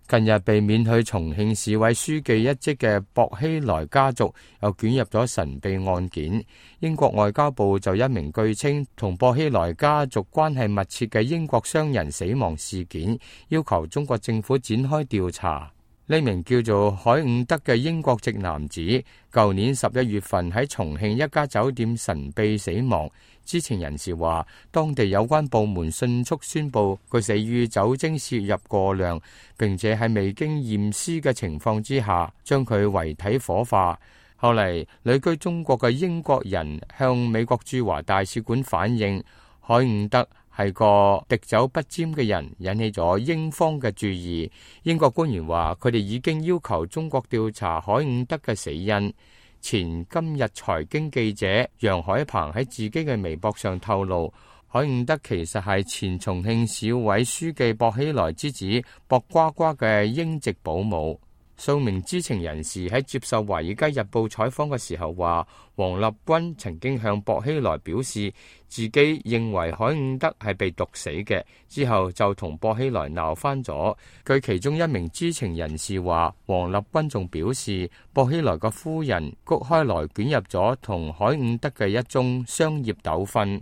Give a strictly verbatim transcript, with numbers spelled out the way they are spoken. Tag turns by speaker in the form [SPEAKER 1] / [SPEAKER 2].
[SPEAKER 1] 近日被免去重慶市委書記一職嘅薄熙來家族又捲入咗神秘案件。英國外交部就一名據稱同薄熙來家族關係密切嘅英國商人死亡事件，要求中國政府展開調查。呢名叫做海伍德嘅英國籍男子，舊年十一月份喺重慶一家酒店神秘死亡。知情人士話，當地有關部門迅速宣布佢死於酒精攝入過量，並且喺未經驗屍嘅情況之下，將佢遺體火化。後嚟，旅居中國嘅英國人向美國駐華大使館反映，海伍德係個滴酒不沾嘅人，引起咗英方嘅注意。英國官員話，佢哋已經要求中國調查海伍德嘅死因。前今日財經記者楊海鵬喺自己嘅微博上透露，海伍德其實係前重慶市委書記薄熙來之子薄瓜瓜嘅英籍保姆。數名知情人士喺接受《華爾街日報》採訪嘅時候話，王立軍曾經向薄熙來表示自己認為海伍德係被毒死嘅，之後就同薄熙來鬧翻咗。據其中一名知情人士話，王立軍仲表示薄熙來嘅夫人谷開來捲入咗同海伍德嘅一宗商業糾紛。